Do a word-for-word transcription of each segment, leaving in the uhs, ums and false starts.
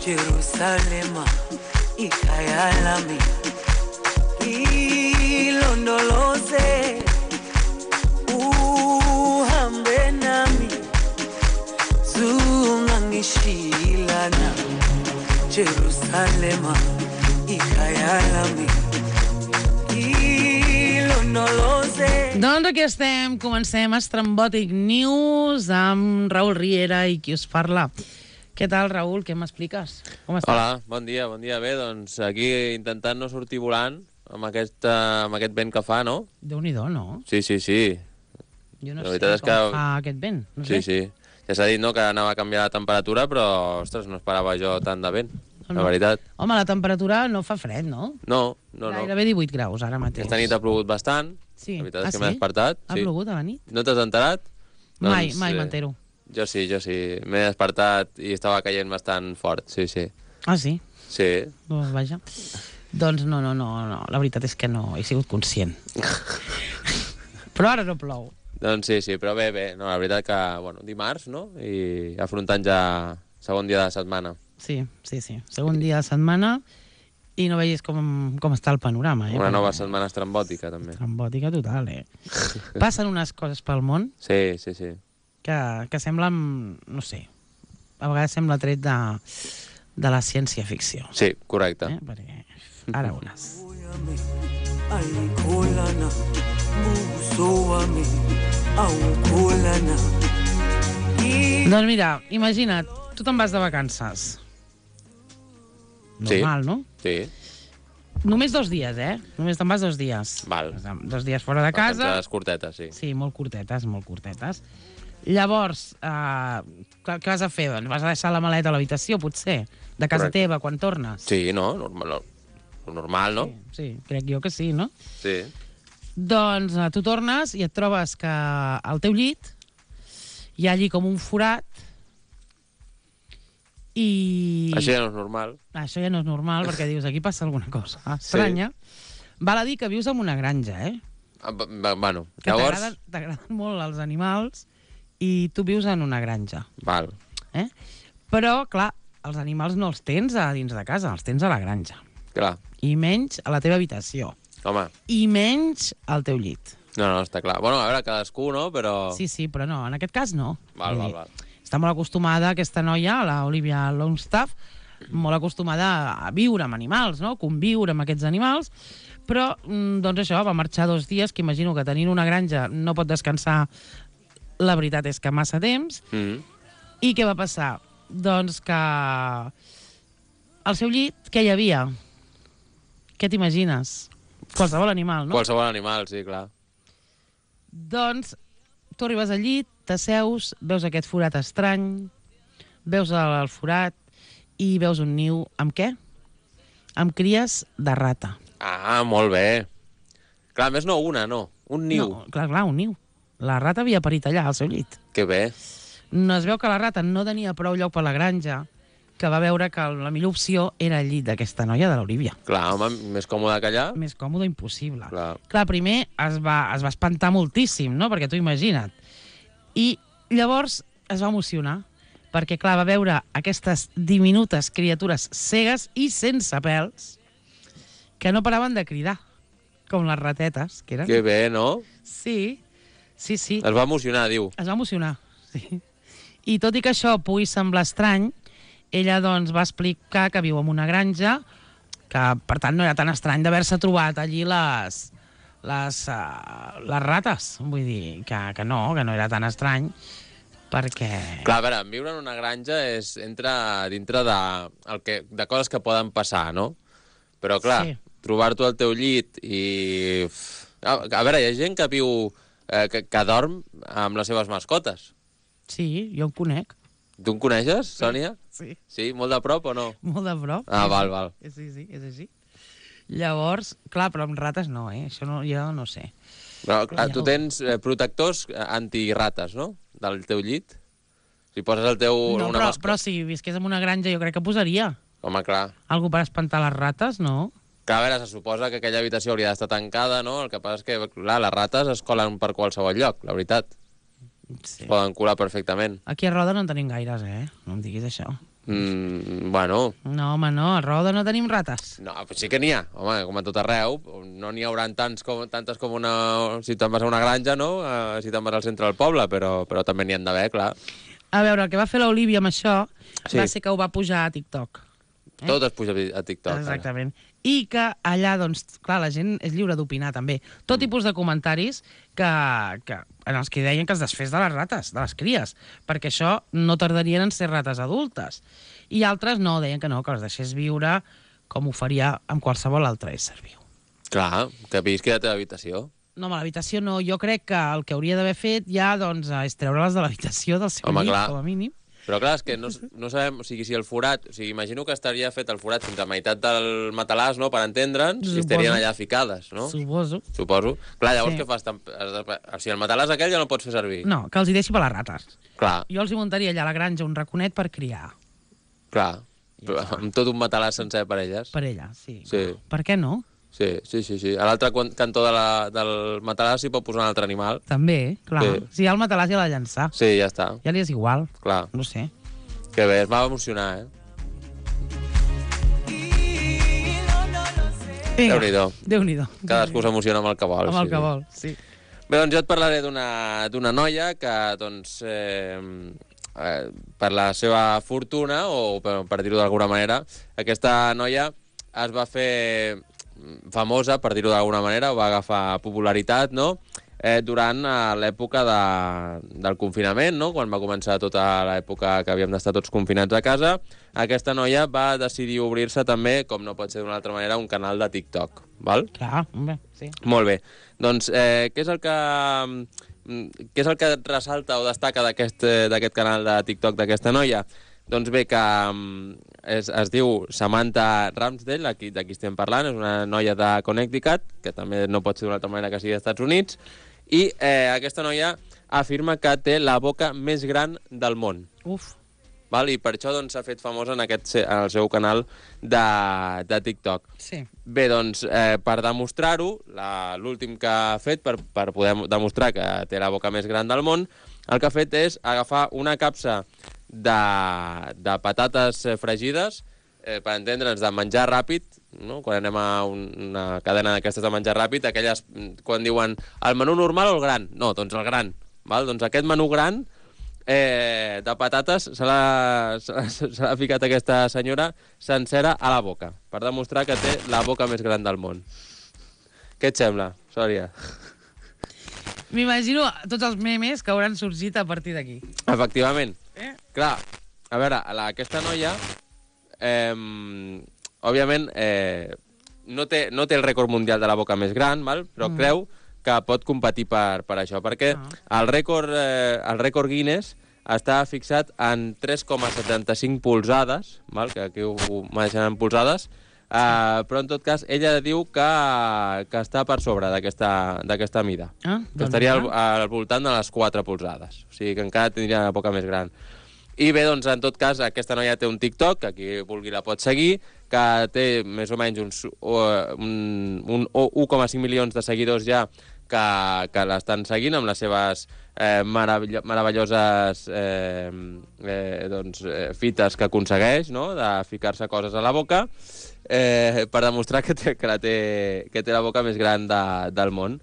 Jerusalema ikhaya lami ilondoloze uhambe nami zungangishilana Jerusalema ikhaya lami ilondoloze. Doncs aquí estem, comencem Estrambòtic News amb Raül Riera i qui us parla. Què tal, Raül? Què m'expliques? Com estàs? Hola, bon dia, bon dia. Bé, doncs aquí intentant no sortir volant amb aquest, uh, amb aquest vent que fa, no? Déu-n'hi-do, no? Sí, sí, sí. Jo no La sé veritat és com que... fa aquest vent. No Sí, sé. sí. Ja s'ha dit, no?, que anava a canviar la temperatura, però, ostres, no esperava jo tant de vent, No. la veritat. Home, la temperatura no fa fred, no? No, no, no. Gairebé divuit graus ara mateix. Aquesta nit ha plogut bastant. Sí. La veritat Ah, és que sí? m'he despertat. Ha Sí. plogut a la nit? No t'has enterat? Mai, Doncs, mai eh, m'entero. Jo sí, jo sí. M'he despertat i estava caient bastant fort, sí, sí. Ah, sí? Sí. Doncs vaja. Doncs no, no, no, no. La veritat és que no he sigut conscient. Però ara no plou. Doncs sí, sí, però bé, bé. No, la veritat que, bueno, dimarts, no? I afrontant ja segon dia de setmana. Sí, sí, sí. Segon dia de setmana i no veies com, com està el panorama. Eh? Una nova Perquè- setmana estrambòtica, també. Trambòtica total, eh? Passen unes coses pel món Sí, sí, sí. que, que semblen, no sé, a vegades sembla tret de, de la ciència-ficció. Sí, correcte. Eh? Perquè ara unes. Ayikholana buso wami awukholana. Doncs mira, imagina't, tu te'n vas de vacances. Sí. Normal, no? Sí, Només dos dies, eh? Només te'n vas dos dies. val. Dos dies fora de casa. Vacances curtetes, sí. Sí, molt curtetes, molt curtetes. Llavors, eh, què què vas a fer? Doncs vas a deixar la maleta a l'habitació, potser, de casa Correcte. teva, quan tornes? Sí, no? Normal, no. Normal, no? Sí, sí, crec jo que sí, no? Sí. Doncs eh, tu tornes i et trobes que al teu llit hi ha allí com un forat i... Això ja no és normal. Això ja no és normal, perquè dius, aquí passa alguna cosa estranya. Val a dir que vius en una granja, eh? Ah, b- b- Bueno, Que llavors... t'agraden t'agraden molt els animals i tu vius en una granja. Val. Eh? Però, clar, els animals no els tens a dins de casa, els tens a la granja. Clar. I menys a la teva habitació. Home, I menys al teu llit. no, no, està clar. Bueno, a veure, cadascú, no? Però... Sí, sí, però no, en aquest cas no. Val, Vull val, dir, val. Està molt acostumada, aquesta noia, la Olivia Longstaff, molt acostumada a viure amb animals, no? Conviure amb aquests animals, però, mm, doncs això, va marxar dos dies, que imagino que tenint una granja no pot descansar, la veritat és que massa temps. Mm. I què va passar? Doncs que al seu llit, què hi havia? Què t'imagines? Qualsevol animal, no? Qualsevol animal, sí, clar. Doncs tu arribes al llit, t'asseus, veus aquest forat estrany, veus el, el forat i veus un niu amb què? Amb cries de rata. Ah, molt bé. Clar, a més no una, no. Un niu. No, clar, clar, un niu. La rata havia parit allà, al seu llit. Que bé. No es veu que la rata no tenia prou lloc per la granja, que va veure que la millor opció era el llit d'aquesta noia de l'Olivia. Clar, home, més còmode que allà. Més còmode impossible. Clar. Clar, primer es va, es va espantar moltíssim, no? Perquè tu imagina't. I llavors es va emocionar, perquè, clar, va veure aquestes diminutes criatures cegues i sense pèls que no paraven de cridar, com les ratetes, que eren. Que bé, no? Sí, sí, sí. Es va emocionar, diu. Es va emocionar, sí. I tot i que això pugui semblar estrany, ella doncs va explicar que viu en una granja, que per tant no era tan estrany d'haver-se trobat allí les, les, uh, les rates. Vull dir que, que no, que no era tan estrany, perquè... Clar, a veure, viure en una granja és entra dintre de, el que, de coses que poden passar, no? Però, clar, Sí. trobar-t'ho al teu llit i... A, a veure, hi ha gent que viu... Eh, que, que dorm amb les seves mascotes. Sí, jo en conec. Tu en coneixes, Sònia? Sí, Sí? Molt de prop o no? molt de prop. Ah, Sí, val, sí. val. Sí, sí, és així. Llavors, clar, però amb rates no, eh? Això no, jo no sé. Però, clar, Ja tu ho- tens eh, protectors antirates, no? Del teu llit. Si poses el teu... No, una però, mascota... però si visqués en una granja jo crec que posaria. Home, clar. Algú per espantar les rates, no? Que, a veure, se suposa que aquella habitació hauria d'estar tancada, no? El que passa és que, clar, les rates es colen per qualsevol lloc, la veritat. Sí. Es poden colar perfectament. Aquí a Roda no en tenim gaires, eh? No em diguis això. Mm, bueno... No, home, no, a Roda no tenim rates. No, però sí que n'hi ha. Home, com a tot arreu. No n'hi haurà tants com, tantes com una... Si te'n vas a una granja, no? Uh, si te'n vas al centre del poble, però, però també n'hi han d'haver, clar. A veure, el que va fer l'Olivia amb això Sí. va ser que ho va pujar a TikTok. Eh? Tot es puja a TikTok. Exactament. Ara. I que allà, doncs, clar, la gent és lliure d'opinar, també. Tot mm. tipus de comentaris que, que, en els que deien que es desfés de les rates, de les cries, perquè això no tardarien en ser rates adultes. I altres no, deien que no, que les deixés viure com ho faria amb qualsevol altre ésser viu. Clar, que visqui a la teva habitació. No, home, l'habitació no. Jo crec que el que hauria d'haver fet ja doncs, és treure-les de l'habitació del seu home, llit, clar. com a mínim. Però clar, és que no, no sabem, o sigui, si el forat... O sigui, imagino que estaria fet el forat fins a meitat del matalàs, no?, per entendre'ns, i estarien allà ficades, no? Suposo. Suposo. Clar, llavors Sí. què fas? O sigui, el matalàs aquell ja no el pots fer servir. No, que els hi deixi per les rates. Clar, Jo els hi muntaria allà a la granja un raconet per criar. clar. Però amb tot un matalàs sencer per elles. Per ella, sí. Sí. Per què no? Sí, sí, sí. sí. A l'altre quan- cantó de la, del matalàs s'hi pot posar un altre animal. També, clar. Sí. Si hi ha el matalàs ja l'ha de llançar. Sí, ja està. Ja li és igual. Clar. No sé. Que bé, es va emocionar, eh? Vinga. Déu-n'hi-do. Déu-n'hi-do. Cadascú s'emociona amb el que vol. Amb el sí, que sí. vol, sí. Bé, doncs jo et parlaré d'una d'una noia que, doncs, eh, eh, per la seva fortuna, o per, per dir-ho d'alguna manera, aquesta noia es va fer famosa, per dir-ho d'alguna manera, o va agafar popularitat, no?, eh, durant eh, l'època de, del confinament, no?, quan va començar tota l'època que havíem d'estar tots confinats a casa. Aquesta noia va decidir obrir-se també, com no pot ser d'una altra manera, un canal de TikTok, val? Clar, home, sí. Molt bé. Doncs eh, què és el que mm, què és el que ressalta o destaca d'aquest eh, d'aquest canal de TikTok d'aquesta noia? Doncs bé, que mm, es, es diu Samantha Ramsdell, aquí d'aquí estem parlant, és una noia de Connecticut, que també no pot ser d'una altra manera que sigui dels Estats Units, i eh, aquesta noia afirma que té la boca més gran del món. Uf. Val? I per això doncs, s'ha fet famosa en, aquest, en el seu canal de, de TikTok. Sí. Bé, doncs, eh, per demostrar-ho, l'últim que ha fet, per, per poder demostrar que té la boca més gran del món, el que ha fet és agafar una capsa de, de patates fregides, eh, per entendre'ns, de menjar ràpid, no? Quan anem a un, una cadena d'aquestes de menjar ràpid, aquelles, quan diuen el menú normal o el gran? No, doncs el gran. Val? Doncs aquest menú gran eh, de patates se l'ha ficat aquesta senyora sencera a la boca, per demostrar que té la boca més gran del món. Què et sembla, Sòria? M'imagino tots els memes que hauran sorgit a partir d'aquí. Efectivament. Eh? Clar, a veure, la, aquesta noia, eh, òbviament, eh, no, té, no té el rècord mundial de la boca més gran, val? Però mm. creu que pot competir per, per això, perquè ah. el, rècord, eh, el rècord Guinness està fixat en tres coma setanta-cinc polzades, val? Que aquí ho, ho maneixen en polzades, Uh, però en tot cas ella diu que, que està per sobre d'aquesta mida, ah, que doncs estaria al, al voltant de les quatre polzades, o sigui que encara tindria la boca més gran. I bé, doncs en tot cas aquesta noia té un TikTok, que qui vulgui la pot seguir, que té més o menys uns, un, un un coma cinc milions de seguidors ja que, que l'estan seguint amb les seves eh, meravello meravelloses eh, eh, doncs, eh, fites que aconsegueix, no?, de ficar-se coses a la boca, eh, per demostrar que té, que, la té, que té la boca més gran de, del món.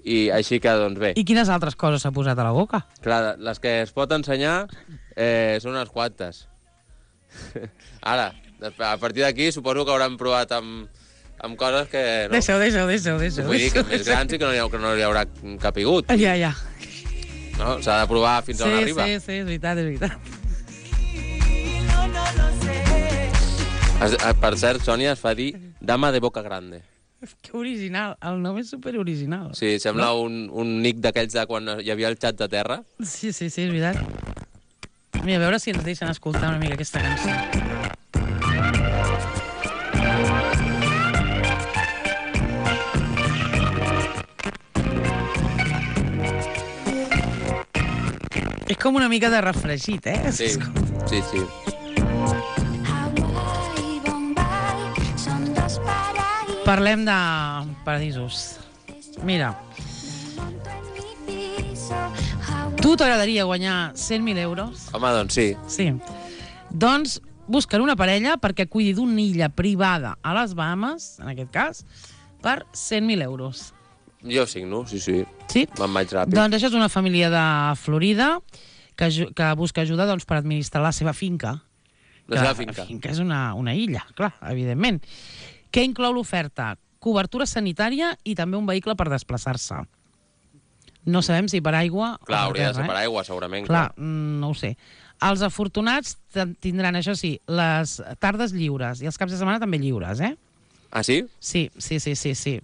I així que, doncs bé... I quines altres coses s'ha posat a la boca? Clar, les que es pot ensenyar eh, són unes quantes. Ara, a partir d'aquí suposo que hauran provat amb, amb coses que... No? Deixa-ho, deixa-ho, deixa-ho. Deixa Vull dir que més grans i que no hi, ha, que no hi haurà capigut. Ja, ja. No? S'ha de provar fins sí, on arriba. Sí, sí, és veritat, és veritat. Es, per cert, Sònia es fa dir dama de boca grande. Que original, el nom és superoriginal. Sí, sembla no? un, un nick d'aquells de quan hi havia el xat de terra. Sí, sí, sí, és veritat. Mira, a veure si ens deixen escoltar una mica aquesta cançó. És com una mica de refregit, eh? Sí, sí, sí. Parlem de paradisos. Mira, tu t'agradaria guanyar cent mil euros? Home, doncs sí. Sí. Doncs busquen una parella perquè cuidi d'una illa privada a les Bahamas, en aquest cas, per cent mil euros. Jo signo, sí, sí. Sí? Me'n vaig ràpid. Doncs això és una família de Florida que, que busca ajuda doncs, per administrar la seva finca. La seva finca. La finca és una, una illa, clar, evidentment. Què inclou l'oferta? Cobertura sanitària i també un vehicle per desplaçar-se. No sabem si per aigua Clar, o per hauria terra, de ser per eh? aigua, segurament. Clar, mm, no ho sé. Els afortunats tindran, això sí, les tardes lliures i els caps de setmana també lliures, eh? Ah, sí? Sí, sí, sí, sí, sí.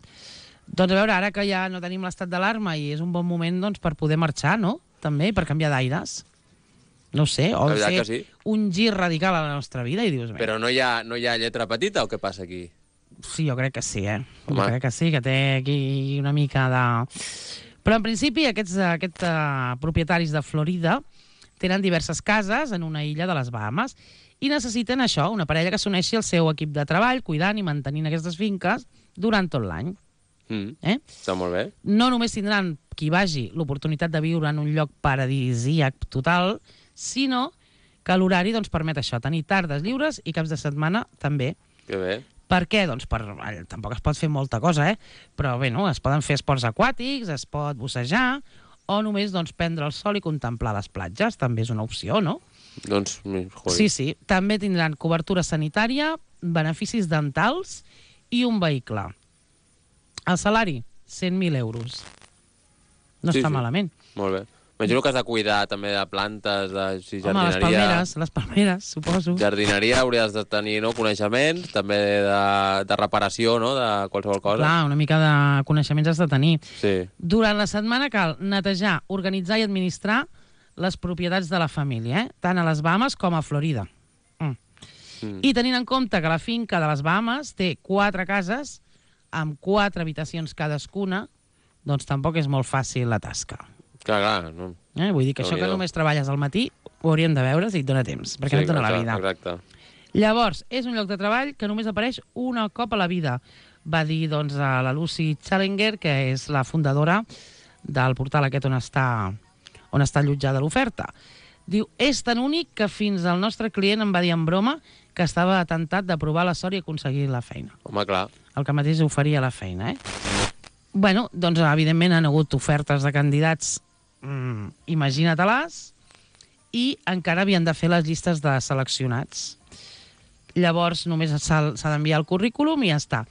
Doncs a veure, ara que ja no tenim l'estat d'alarma i és un bon moment doncs, per poder marxar, no? També, per canviar d'aires. No ho sé, o La veritat fer que sí. un gir radical a la nostra vida i dius... Però no hi, ha, no hi ha lletra petita o què passa aquí? Sí, jo crec que sí, eh? Home. Jo crec que sí, que té aquí una mica de... Però en principi aquests, aquests uh, propietaris de Florida tenen diverses cases en una illa de les Bahamas i necessiten això, una parella que s'uneixi al seu equip de treball, cuidant i mantenint aquestes finques durant tot l'any. Mm. Eh? Està molt bé. No només tindran qui vagi l'oportunitat de viure en un lloc paradisíac total, sinó que l'horari doncs, permet això, tenir tardes lliures i caps de setmana també. Que bé. Per què? Doncs per, tampoc es pot fer molta cosa, eh? Però bé, no? Es poden fer esports aquàtics, es pot bussejar, o només doncs, prendre el sol i contemplar les platges, també és una opció, no? Doncs, joder. Sí, sí. També tindran cobertura sanitària, beneficis dentals i un vehicle. El salari, cent mil euros. No Sí, està sí. malament. Molt bé. Imagino que has de cuidar també de plantes, de si Home, les jardineria... palmeres, les palmeres, suposo. Jardineria hauries de tenir no, coneixements, també de, de reparació, no?, de qualsevol cosa. Clar, una mica de coneixements has de tenir. Sí. Durant la setmana cal netejar, organitzar i administrar les propietats de la família, eh? Tant a les Bahamas com a Florida. Mm. Mm. I tenint en compte que la finca de les Bahamas té quatre cases amb quatre habitacions cadascuna, doncs tampoc és molt fàcil la tasca. Clar, clar. No. Eh? Vull dir que això que Déu-n'hi-do. només treballes al matí ho hauríem de veure si et dona temps, perquè Sí, no et dona la exacte, vida. Exacte. Llavors, és un lloc de treball que només apareix una cop a la vida, va dir doncs, a la Lucy Challenger, que és la fundadora del portal aquest on està, on està allotjada l'oferta. Diu, és tan únic que fins al nostre client em va dir en broma que estava tentat de provar la sort i aconseguir la feina. Home, clar. El que mateix oferia la feina, eh? Bueno, doncs evidentment han hagut ofertes de candidats, mm, imagina-te-les, i encara havien de fer les llistes de seleccionats. Llavors només s'ha s'ha d'enviar el currículum i ja està.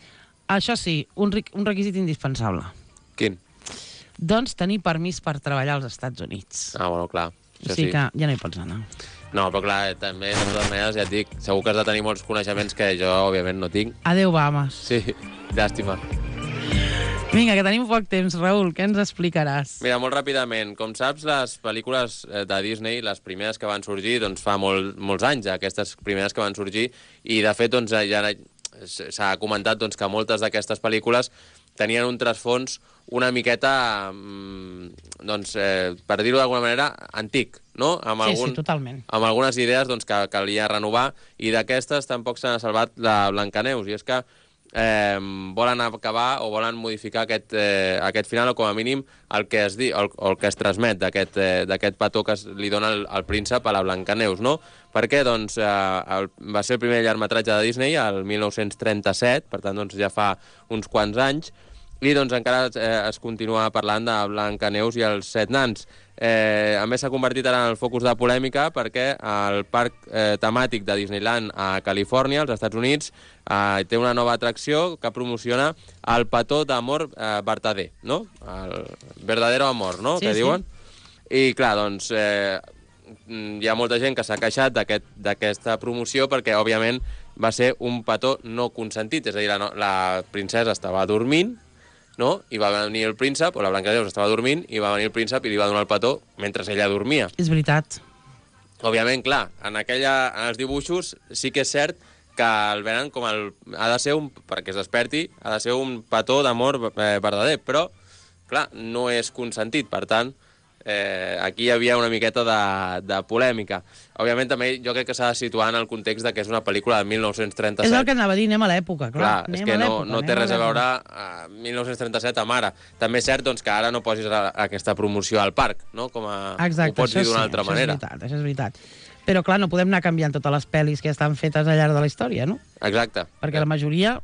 Això sí, un, un requisit indispensable. Quin? Doncs tenir permís per treballar als Estats Units. Ah, bueno, clar. O Això sigui sí. que ja no hi pots anar. No, però clar, també, de totes maneres, ja et dic, segur que has de tenir molts coneixements que jo, òbviament, no tinc. Adéu, Bahamas. Sí, llàstima. Vinga, que tenim poc temps, Raül, què ens explicaràs? Mira, molt ràpidament, com saps, les pel·lícules eh, de Disney, les primeres que van sorgir, doncs fa molt, molts anys, ja, aquestes primeres que van sorgir, i de fet, doncs, ja s'ha comentat doncs, que moltes d'aquestes pel·lícules tenien un trasfons una miqueta, doncs, eh, per dir-ho d'alguna manera, antic, no? Amb Sí, algun, sí, totalment. amb algunes idees doncs, que calia renovar, i d'aquestes tampoc se n'ha salvat la Blancaneus, i és que eh, volen acabar o volen modificar aquest, eh, aquest final, o com a mínim el que es, di, el, el que es transmet d'aquest eh, petó que es, li dona el, el príncep a la Blancaneus, no? Per què? Doncs eh, el, va ser el primer llargmetratge de Disney, el mil nou-cents trenta-set, per tant doncs, ja fa uns quants anys, i doncs encara eh, es continua parlant de Blancaneus i els set nans. Eh, a més, s'ha convertit ara en el focus de polèmica perquè el parc eh, temàtic de Disneyland a Califòrnia, als Estats Units, eh, té una nova atracció que promociona el petó d'amor eh, verdader, no? El verdadero amor, no? Sí, que sí. diuen. I clar, doncs, eh, hi ha molta gent que s'ha queixat d'aquesta aquest, promoció perquè, òbviament, va ser un petó no consentit, és a dir, la, no- la princesa estava dormint, no? I va venir el príncep, o la Blancaneus estava dormint, i va venir el príncep i li va donar el petó mentre ella dormia. És veritat. Òbviament, clar, en, aquella, en els dibuixos sí que és cert que el venen com el... Ha de ser un... perquè es desperti, ha de ser un petó d'amor eh, verdader, però, clar, no és consentit, per tant, eh, aquí hi havia una miqueta de, de polèmica. Òbviament, també jo crec que s'ha de situar en el context de que és una pel·lícula de mil nou-cents trenta-set. És el que anava a dir, anem a l'època, clar. Clar, és anem que a no, l'època, no té anem res a l'època. veure a mil nou-cents trenta-set amb ara. També és cert doncs, que ara no posis a, aquesta promoció al parc, no? Com a, Exacte, ho pots això dir d'una sí, altra això manera. és veritat, això és veritat. Però, clar, no podem anar canviant totes les pel·lis que estan fetes al llarg de la història, no? Exacte. Perquè la majoria...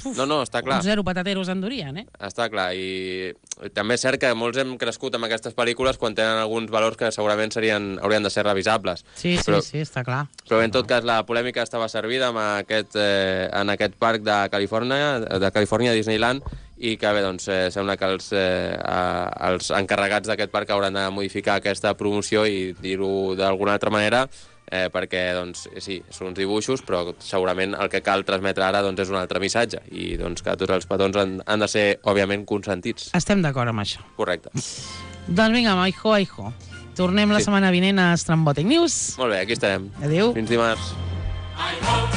Uf, No, no, està clar. un zero patateros endurien, eh? Està clar, i també és cert que molts hem crescut amb aquestes pel·lícules quan tenen alguns valors que segurament serien, haurien de ser revisables. Sí, sí, però, sí, està clar. Però en tot cas la polèmica estava servida amb aquest, eh, en aquest parc de Califòrnia, de Califòrnia Disneyland, i que bé, doncs, eh, sembla que els, eh, els encarregats d'aquest parc hauran de modificar aquesta promoció i dir-ho d'alguna altra manera, eh, perquè, doncs, sí, són uns dibuixos, però segurament el que cal transmetre ara doncs, és un altre missatge, i doncs, que tots els petons han, han de ser, òbviament, consentits. Estem d'acord amb això. Correcte. Doncs vinga, aijo, aijo. Tornem la Sí. setmana vinent a Estrambòtic News. Molt bé, aquí estarem. Adéu. Fins dimarts. I hope